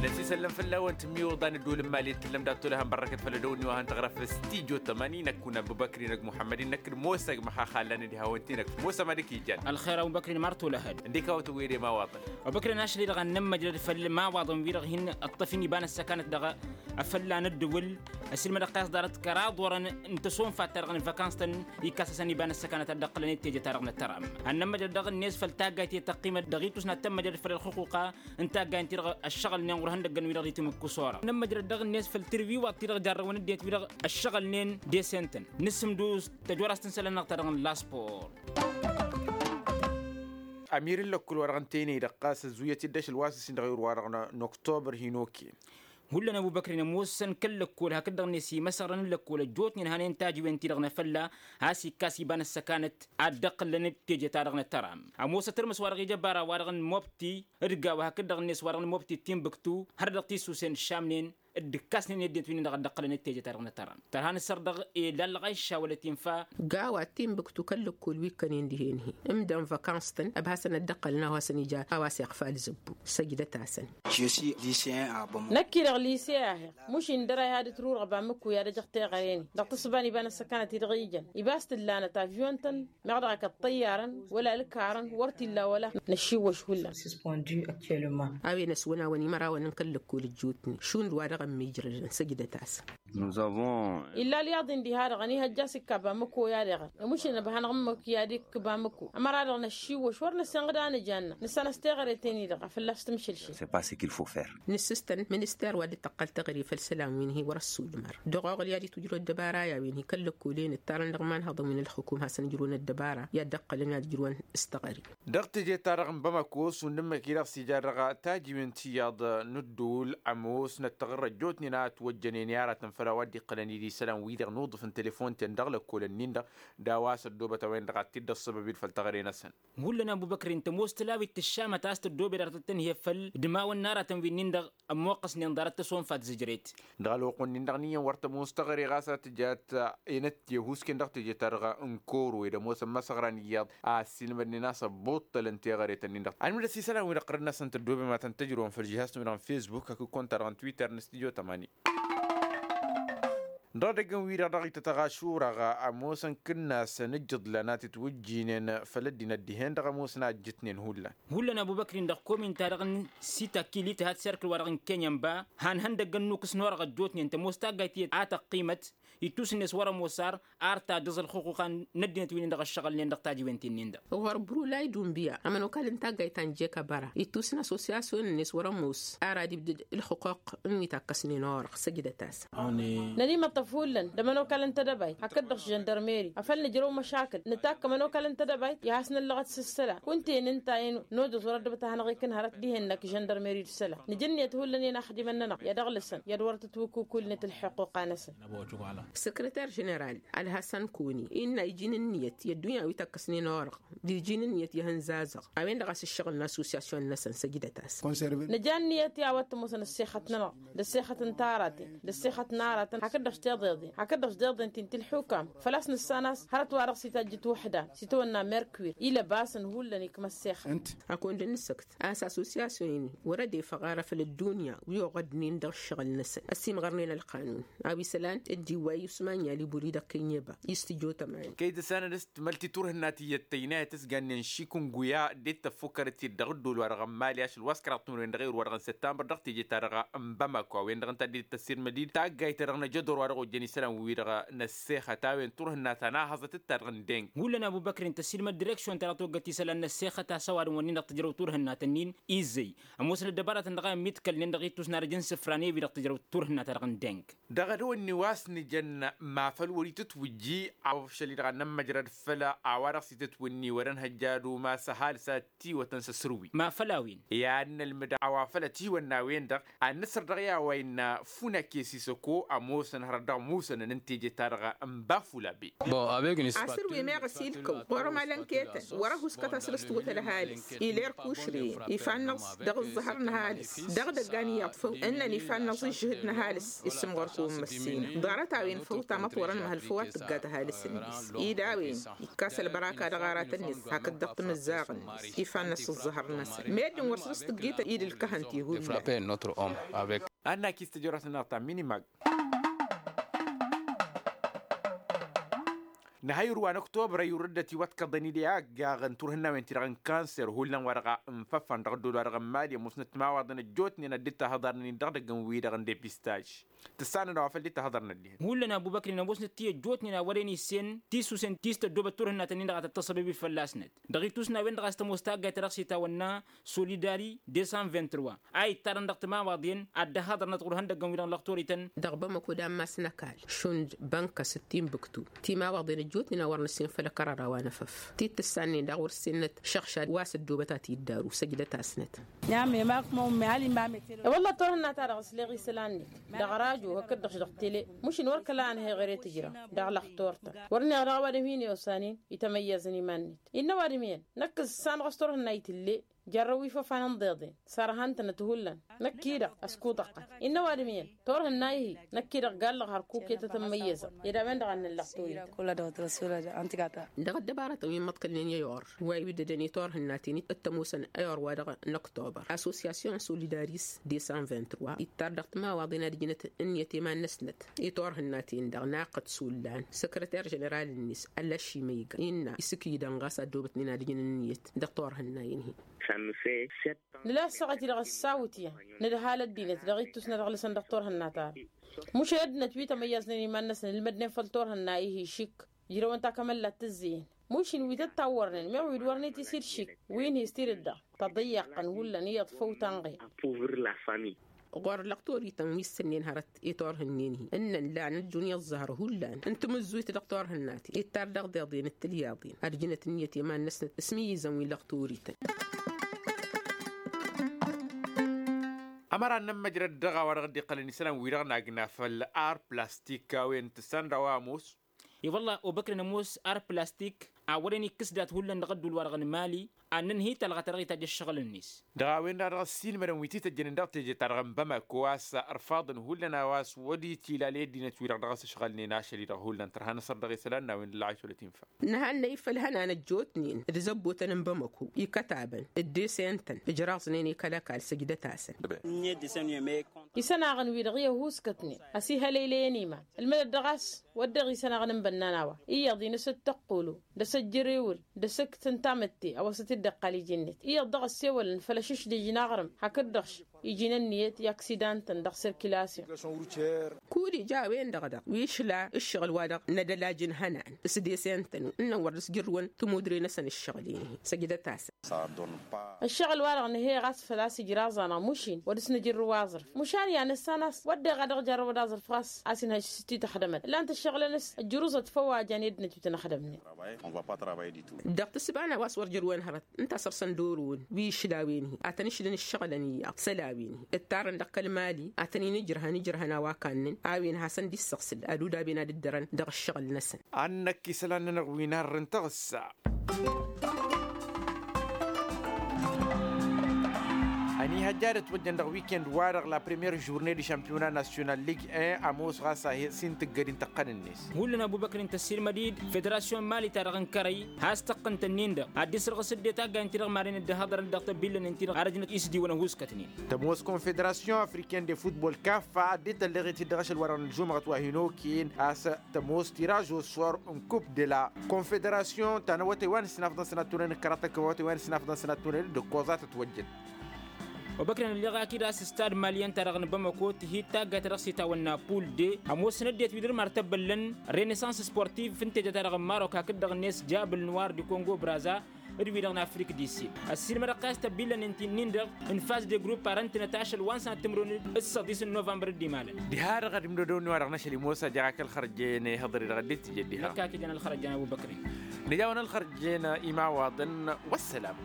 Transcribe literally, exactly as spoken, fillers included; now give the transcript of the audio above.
Năsisăllăm făll-awăn tǝmmiwǝḍan ădduul n-imali d-tǝllăm dat-tolăhăn bărrăkăt făll-ădăwănni wa hăn tăɣrăf s-tijo tămani năkk wăn abubăkri năkk muḥămmădin năkk d-mosa ăgg măxaxallan d-hawăn-ti-năkk mosa ma dăk-ijan. Ălxer abubăkri n-imar tolăhăd. Ǝndek a-wa tăwwăyăd i-imawaḍăn. Abubăkri n-ašăl-i-dăɣ ad-nămmăjrăd făll-imawaḍăn-wi-dăɣ hin-ǝṭṭăf-in iba n-ăssăkanăt dăɣ-afălla n-ǝddǝwǝl. Ăsilmădăɣ-t a-s ḍarăt kăraḍ wărăn n-tăsonfat-ta-dăɣ n-văkans-tăn. Ikkas-asăn iba n-ăssăkanăt ad-dd-ăqqǝlăn i-teje-ta-dăɣ n-ăttăram ad-nămmăjrăd dăɣ-net făll-taggayt i-tăqqimăt dăɣ-itus n-ad-tămmăjrăd făll-ălxuquqa n-taggay n-ti-dăɣ ăššăɣǝlnen ɣur-ihăndăggăn-wi-dăɣ d-itimǝkku s-ora ad-nămmăjrăd dăɣ-net făll-tirǝwiwaḍt-ti-dăɣ jarrăwăn ăddinăt-wi-dăɣ ăššăɣǝlnen d-esen-tăn. Nǝsǝmdǝw tăjorăst n-isălan-năɣ ta dăɣ-nǝlla spor. Amir n-lăkkul wa dăɣ-n tăynăy-dăɣ ɣas ăzzuyăt-dd ašăl wa s-ǝssin dăɣ-ewăr wa dăɣ-năktobăr hin-okăyăn. Hullan ăbubăkrin ămoosăn kăl-lăkkol hakd-dăɣ-net imăsăɣrăn n-lăkkol ăjjootnen hanen tajiwen-ti-dăɣ n-afălla a-s ikkas iba n-ăssăkanăt ad-dd-ăqqǝllăn d-teje-ta-dăɣ n-ăttăram. Ămoos ad-tărmǝs wa dăɣ-ija ăbara wa dăɣ-nǝmmobti d-gawa hakd-dăɣ-net wa dăɣ-nǝmmobti d-tinbǝktu hărăt dăɣ-tisusen ǝššamnen d-ǝkkasnen i-ăddinăt wi-nin-dăɣ ad-dd-ăqqǝlăn d-teje-ta-dăɣ n-ăttăram. Tărha nǝssăr dăɣ-e lallăɣ a iššawălăt infa. Gawa d-tinbǝktu kăl-lăkkol wi ǝkkănen dihen-hi ǝmdăn văkans-tăn ăbhasăn ad-dd-ăqqălăn a-wa hasăn-ija a-wa s-iɣfal zǝbbu. Săjdăt-asăn. Năkk-i-dăɣ lise a heɣ muš-in dăr-a ihad ǝtrurăɣ bamǝkku i-ad-ăjăɣ teɣăre-ni dăɣ-tǝssǝba n-iba n-ăssăkanăt-i-dăɣ ijăn ibas tǝllanăt avyun-tăn meɣ dăɣ-ak ăṭṭăyyarăn wăla ălkarăn wăr t-illa wăla. Năššiwwăš hullan. A-wen ăswănawăn imărawăn n-kăl-lăkkol ăjjootnen šund wa dăɣ-ămmijrădăn săjdăt-asăn. Illa ălyaḍ-in diha-dăɣ ănihăjja s-ikka bamǝkku i-ad-iɣăr. Ămušǝl nǝbha n-aɣǝmmǝk i-ad-ikk bamǝkku ămăra-dăɣ năššiwwăš wăr năssinɣǝd a nǝjanna nǝssan a-s teɣăre-ten-i-dăɣ a fălla-s tǝmšǝlšǝl. Nǝssǝstăn minister wa dd-tăqqăl teɣăre făll-isălan wi n-hi wăr-ăssulmăr dăɣ-oɣǝl i-ad-itwǝjrǝw ăddăbara i-a-wen hi kăl-lăkkolen ǝttarăn dăɣ-imanhăḍăn wi n-ălxukum hasăn-ǝjrǝwăn ăddăbara i-ad-dd-ăqqălăn i-ad-ǝjrǝwăn s-teɣăre. Dăɣ-teje-ta-dăɣ n-bamăko šund ǝmmǝk-i-dăɣ s-ija dăɣ-tajiwen tiyyăḍ n-ǝddul ămoosnăt taɣǝrrăt ăjjootnen a ătwăjjănen i-aratăn făll-a-wa dd-iqqălăn-dd isălan-wi-dăɣ n-uḍǝf n-telefon-ten dăɣ-lăkkolăn-nin-dăɣ d-a-wa s-ăddoobăt a-wen-dăɣ ad-t-dd-ăṣṣăbăb-dd făll-teɣăre-năsăn. Hullan ăbubăkr-in tămoos tǝlawit tǝššamăt a-s tăddoobed arăt d-tăn-hi-făll d-imawăn n-aratăn wi-nin-dăɣ ămmoqqăsnen ḍarăt tăsonfat zǝjret. Dăɣ-ălwăqq-wen-nin-dăɣ n-iyyăn wăr tămoos teɣăre ɣas a tǝjat enăt tehusken dăɣ-teje-ta-dăɣ n-koro ed ămoosăn imăsăɣra n-iyyăḍ a ăssiilmădnen a-s ăbbuṭṭălăn teɣăre-tăn-in-dăɣ anmǝdăs isălan-wi-dăɣ ɣărăn-asăn tăddoobem ad-tăn-tăjrăwăn făll-žihas-năwăn dăɣ-n fesbuk hakd konta-dăɣ n-twitter n-studio tămani. Dăɣ-edăgg n-wi-dăɣ dăɣ-ităt ăɣašur-aɣ ămoosăn kǝnnasăn ǝjjǝḍlan a t-itwǝjjǝynen făll-ăddinăt dihen-dăɣ ămoosăn a ǝjjǝtnen hullan. Hullan ăbubăkr-in dăɣ-komin-ta-dăɣ n-sitakilit hat serkǝl-wa-dăɣ n-kenyănba han ihăndăgg ănnukkǝs n-orăɣ ăjjootnen tămoos taggayt tiyyăt a tăqqimăt ittus-net wăr-ămoos ar ar ta dăẓ-ălxuquqa n-ăddinăt wi-nin-dăɣ ăššăɣǝlnen dăɣ-tajiwen-ti-nin-dăɣ. Ɣur-brulay dunbiya ămănokal n-taggayt ta n-jekăbăra ittus n-asosiyasyon-net wăr-ămoos ar ad-ibdǝd ǝlxǝquq n-wi takkăsnen orăɣ săjdăt-as. Nănimăṭṭăf hullan d-ămănokal n-tedăbayt hakd-dăɣ s-žăndărmeri afăl nǝjrăw măšakǝl nǝtakk ămănokal n-tedăbayt i-ad-has-năllăɣăt s-ǝssălan kunta-en ǝnta-en nojăẓ wăr-ăddăbăt ad-hanăɣ-ikǝn hărăt dihen-năk žăndărmeri d-isălan nǝjǝnniyăt hullan i-inaxdimăn-nănăɣ i-ad-ăɣlǝsăn i-ad-wăr tătwǝkukulnet ălxuquqa-năsăn. Săkrăter ženeral ălhăsăn koni innă iji n-ǝnniyăt i-ăddunya wi tăkkăsnen orăɣ d-iji n-ǝnniyăt i-ihănzazăɣ a-wen-dăɣ a-s ǝššăɣǝl n-asosiyasyon-năsăn săjdăt-as. Nǝja ǝnniyăt i-a-wa t-ămoosăn ăssexăt-nănăɣ d-ăssexăt n-taraten d-ăssexăt n-araten hakd-dăɣ s-tiḍeḍen hakd-dăɣ s-tiḍeḍen ti n-tilḥukam făl-a-s nǝssan a-s hărăt-wa-dăɣ s-itajjǝt wăhdan s-itawănna merkwir ilăbasăn hullan ikma ăssexăt. Ăkund n-asăkt a-s asosiyasyon-in wăr-ădefăɣ ara făll-ăddunya wi oɣădnen dăɣ-ǝššăɣǝl-năsăn ăsimɣărnen ălqanun a-wa isălan dd-iwway usman yalibuli dăɣ-kenyeba i-s tǝjot ămani. Kăy-dăɣ s-anăn s-tmălt i-turhǝnna tiyyăt tăynayăt s-gannen šikunguya d-e-d tăffukkărăt-dd dăɣ-ǝddol-wa-dăɣ n-mali ašăl wa s-kăraḍ timǝrwen dăɣ-ewăr wa-dăɣ n-săttămbăr dăɣ-teje-ta-dăɣ n-bamako a-wen-dăɣ ǝnta dd-tăssirmăd-dd taggayt-ta-dăɣ n-ajădor wa dăɣ-ojjăn isălan-wi-dăɣ n-ăssexăt a-wen turhǝnna ta n-ahăẓăt d-ta-dăɣ n-deng. Hullan abubăkrin tăssilmăd direksyon-ta-dăɣ toggăt isălan n-ăssexăt a-s ăwadǝm-wăn-nin-dăɣ tǝjrăw turhǝnna-tăn-in izzăy ămoosăn ăddăbaratăn dăɣ-a ǝmmiḍkălnen dăɣ-ittus n-arǝj n-isǝfra n-ewi-dăɣ tǝjrăw turhǝnna-ta-dăɣ n-deng. Dăɣ-edăwănni wa s-nǝjăn ma făl wăr-itǝtwǝjji a-wa făl šăl-i-dăɣ ad-nămmăjrăd făll-a-wa dăɣ-s itǝtwǝnni wăr-ănhăjja ad-umas ăhalǝs ad-tiwătăn s-asǝrwi. Ma făl a-wen i-ad-nălmǝd a-wa făl ătiwănna a-wen-dăɣ ad-nǝsăr dăɣ-i a-wa innă funake sisăko ămoosăn hărăt dăɣ-musănăn n-teje-ta-dăɣ n-bafulabe. Asǝrwi meɣ ăsilkăw ɣur-ămalăn ketăn wăr-ăhuskăt asǝl s-tiwăt ălhalǝs iler kušrăyăn ifa-năẓ dăɣ-ǝẓẓăhăr n-ăhalǝs dăɣ-idăggan iyyăḍ făw ǝnnăn ifa-năẓ ǝžžǝhǝd n-ăhalǝs. Isǝmɣăr-kăwăn măssinăɣ ḍarăt-a-wen Făw tamăḍt wărăn măhăl făw ad-tǝggat ăhalǝs-net. Id a-wen ikkas ălbăraka dăɣ-aratăn-net hakd dăɣ-timǝzzaɣ-net ifannăs ǝẓẓăhăr-năsăn meddǝn wăr s-dăɣ-s tǝggităn id ǝlkăhăn ti hullan. Annak-is tăjorăt-nănăɣ ta minimag. Nǝhăyru wa n-ăktobăr ăyurăd-dăt iwăḍkăḍăn-dd i-aggaɣăn turhǝnnawen-ti-dăɣ n-kanser hullan wa dăɣ-a ǝnfăfăn dăɣ-ăddool wa dăɣ-n mali ămoosnăt timawaḍen ăjjootnen ad-dd-tahăḍarnen-in dăɣ-idăgg n-wi-dăɣ n-depistaj. Tǝssanăn a-wa făl dd-tahăḍărnăt dihen hullan abubăkrin ămoosnăt ti ăjjootnen a wăren issen tisusen ti s-tăddoobăt turhǝnnatăn-in-dăɣ a tăt-tăṣṣăbăb i-fălla-snăt. Dăɣ-itusnawen-dăɣ a-s tămoos taggayt ta dăɣ-s itawănna solidari deux cent vingt-trois a ittarăn dăɣ-timawaḍen ad-dd-ăhaḍărnăt ɣur-ihăndăggăn-wi-dăɣ n-lăxtor-ităn. Dăɣ-bamăko d-ammas n-ăkall šund bănka s-dd-tinbǝktu timawaḍen ăjjootnen a wăr nǝssin făll-ăkărara wa n-afăf ti t-tǝssannen daɣ wăr s-innăt šăɣšad wa s-ăddoobăt a t-iddaru săjdăt-asnăt. I-wălla turhǝnna-ta-dăɣ ǝsleɣ isălan-net dăɣ-rajo hakd-dăɣ-š dăɣ-tele mušin wăr kăla ănhăyɣăre tǝjrăw dăɣ-lăxtor-tăn wăr neɣ dăɣ-ăwadǝm hin-iwsanen itămăyyăẓăn iman-net. Innă ăwadǝm iyyăn năkk s-sanăɣ s-turhǝnna itǝlle. Jărrăw ifăfan n-deḍen sărhăn-tănăt hullan. Năkk-i-dăɣ ăskutăqqăt innă ăwadǝm iyyăn turhǝnna-i-hi. Năkk-i-dăɣ galăɣ hărkuketăt ămmăyyăzăɣ ed a-wen-dăɣ a n-nǝllăɣ toyǝtăn. Dăɣ-ăddăbarătăn wi n-imǝḍkălnen i-ayor wa iwǝddădăn i-turhǝnnaten d-tămoosăn ayor-wa-dăɣ n-ăktobăr assosyasyon solidaris deux cent vingt-trois ittar dăɣ-timawaḍen ad-ǝjnăt ǝnniyăt i-iman-năsnăt i-turhǝnnaten-dăɣ naqăt sullan săkrăter ženeral-net ălăšimăyga innă isǝkǝydăn ɣas a ăddoobătnen ad-ǝjǝn ǝnniyăt dăɣ-turhǝnnayen-hi. Nǝla ăssaɣăt-i-dăɣ ăssawǝt iyyăn nǝdhal ăddinăt dăɣ-ittus n-ad-ăɣlǝsăn dăɣ-turhǝnna-ta-dăɣ. Mušăl ăddinăt wi tămăyyăẓnen iman-năsăn ǝlmădnen făll-turhǝnna-i-hi išik ǝjrăwăn takămăllat tǝzzeyăn. Mušin wi tăt-tawwărnen meɣ wi d-wărnen tisiršik wi n-hi s-tidǝt-dăɣ tăḍǝyyaqqăn hullan iyyăḍ făw tanɣe. Ɣur-lăɣtorităn wi s-sănnen hărăt i-turhǝnnen-hi ǝnnăn lan ăjjun i-ăẓẓăhăr hullan n-timǝzzuyt dăɣ-turhǝnnaten ittar dăɣ-deḍen d-tilyaḍen ad-ǝjnăt ǝnniyăt i-iman-năsnăt s-imǝyyǝzăn wi n-lăɣtorităn. Ămăra n-inămmăjrăd dăɣ-a-wa dăɣ-dd-iqqălăn isălan-wi-dăɣ n-agna făll-ar plastik a-wen tǝssan dăɣ-a-wa ămoos. I-wălla obăkrăn ămoos ar plastik a wăren ikkǝs dat-hullan dăɣ-ădduul-wa-dăɣ n-imali ad-nǝnhǝy talɣa ta dăɣ-itajj ăššăɣǝl-net. Dăɣ-a-wen-dăɣ a dăɣ-ăssiilmădăn wi t-tăjjănen dăɣ-teje-ta-dăɣ n-bamako a-s ărfaḍăn hullan a-wa s-wăr-dd-itilal i-ăddinăt-wi-dăɣ dăɣ-s ǝšɣălnen ašăl-i-dăɣ hullan tărha n-asăr dăɣ-isălan n-a-wen d-ǝllăɣăy šolăt infa. Nǝhannăy făll-ihănan ăjjootnen d-zăbbotăn n-bamako ikătabăn d-desentăn ǝjraẓnen i-kăl-ăkall săjdăt-asăn. Isănaɣăn-wi-dăɣ i-ăhuuskătnen ăsihălăylăyăn iman ǝlmădăt dăɣ-a-s wădden isănaɣăn n-bănnan a-wa iyyăḍ-i n-asǝttăqqulu d-asǝjjăr ewǝl d-asǝkt n-tamǝtte a-wa s-dd-iqqal iji-net iyyăḍ dăɣ-ăssewălăn făll-ašǝšdǝj n-aɣrǝm hakd-dăɣ-š iji n-ǝnniyăt i-aksidan-tăn dăɣ-sirkilasyon. Kud-ija a-wen-dăɣ daɣ wi išla ǝššăɣǝl-wa-dăɣ n-edălaj n-ihănan s-desentăn ǝnnăn wăr dăɣ-s jărrǝwăn tămudre-năsăn ǝššăɣǝl-i-hi săjdăt-asăn. Ăššăɣǝl-wa-dăɣ nǝhhăyăɣ a-s făl-a-s ǝjraẓ-anăɣ mušin wăr dăɣ-s nǝjǝrrǝw aẓrǝf mušan i-ad-nǝssan a-s wădden a dăɣ-jarrăwăd aẓrǝf ɣas a-s inhăj s-tităxdămăt ǝllan-t ăššăɣǝlăn-s ăjrǝẓăt făw a jan i-ăddinăt wi tăn-ăxdămnen. Dăɣ-tǝssǝba n-a-wa s-wăr jărrǝwăn hărăt ǝnta a săr-săn d-oro-wăn wi išlawen-hi ad-tăn-išlǝn ǝššăɣǝlăn iyyăḍ isălan-wi-hi ǝttarăn dăɣ-kăl-mali ad-tăn-in-ǝjrăhăn ǝjrăhăn a-wa kannăn a-wen hasăn-dd-issăɣsǝl ad-udaben ad-ǝddărăn dăɣ-ǝššăɣǝl-năsăn. Ad-năkk isălan-nănăɣ wi n-arrǝn tăɣǝssa. Ăniihăjja ad-ătwăjjăn dăɣ-wikend-wa-dăɣ la premiyer žurnée de šampiyona nasyonal lig un ămoos ɣas a he-s hin-tǝggăd-in tăqqăn-net. Hullan abubăkr n-tăssiilmăd-dd federasyon mali-ta-dăɣ n-kărăy has-tăqqǝntăn-in-dăɣ ad-dd-isrăɣǝs dd-e taggayt-ti-dăɣ madăn dd-ăhhăḍărăn dăɣ-tăbbillăn-in-ti-dăɣ arăjnăt isdiwăn ăhuuskătnen. Tămoos konfederasyon afriken de futbol kaffa a dd-tălleɣ-it-dd dăɣ-ašăl-wa-dăɣ n-ălžumăɣăt wa hin-okăyăn a-s tămoos tiraž osor n-kup de la konfederasyon ta n-awătay wa n-ǝssinafḍăn sănattunen d-kăraḍ tăkkăwătay wa n-ǝssinafḍăn sănattunen d-ǝkkoẓa tătwăjjăt. Obăkrăn ălleɣ akid a-s stad maliyăn-ta-dăɣ n-bamako tǝhit taggayt ta dăɣ-s itawănna pul de ămoosăn ăddinăt wi dăr-mar tăbbăllăn renesans sportiv fǝntejăt-ta-dăɣ n-marok hakd-dăɣ-net jabǝl n-war d-kongo braza d-wi-dăɣ n-afrik di sid. Ăssiilmădăɣ-t a-s tăbbillăn-in-ti-nin-dăɣ n-faz de grup arăntănăt ašăl wa n-sănat timǝrwen d-săḍis n-novămbăr d-imalăn. Diha-dăɣ ad-imdădăw n-iwa-dăɣ n-ašăl imosa jaɣ-ak ălxărjen ihăḍăr-i-dăɣ dd-tǝjed diha. Năkk akid ălxărjen abubăkri. Nǝja-wăn ălxărjen imawaḍăn. Wăssălam.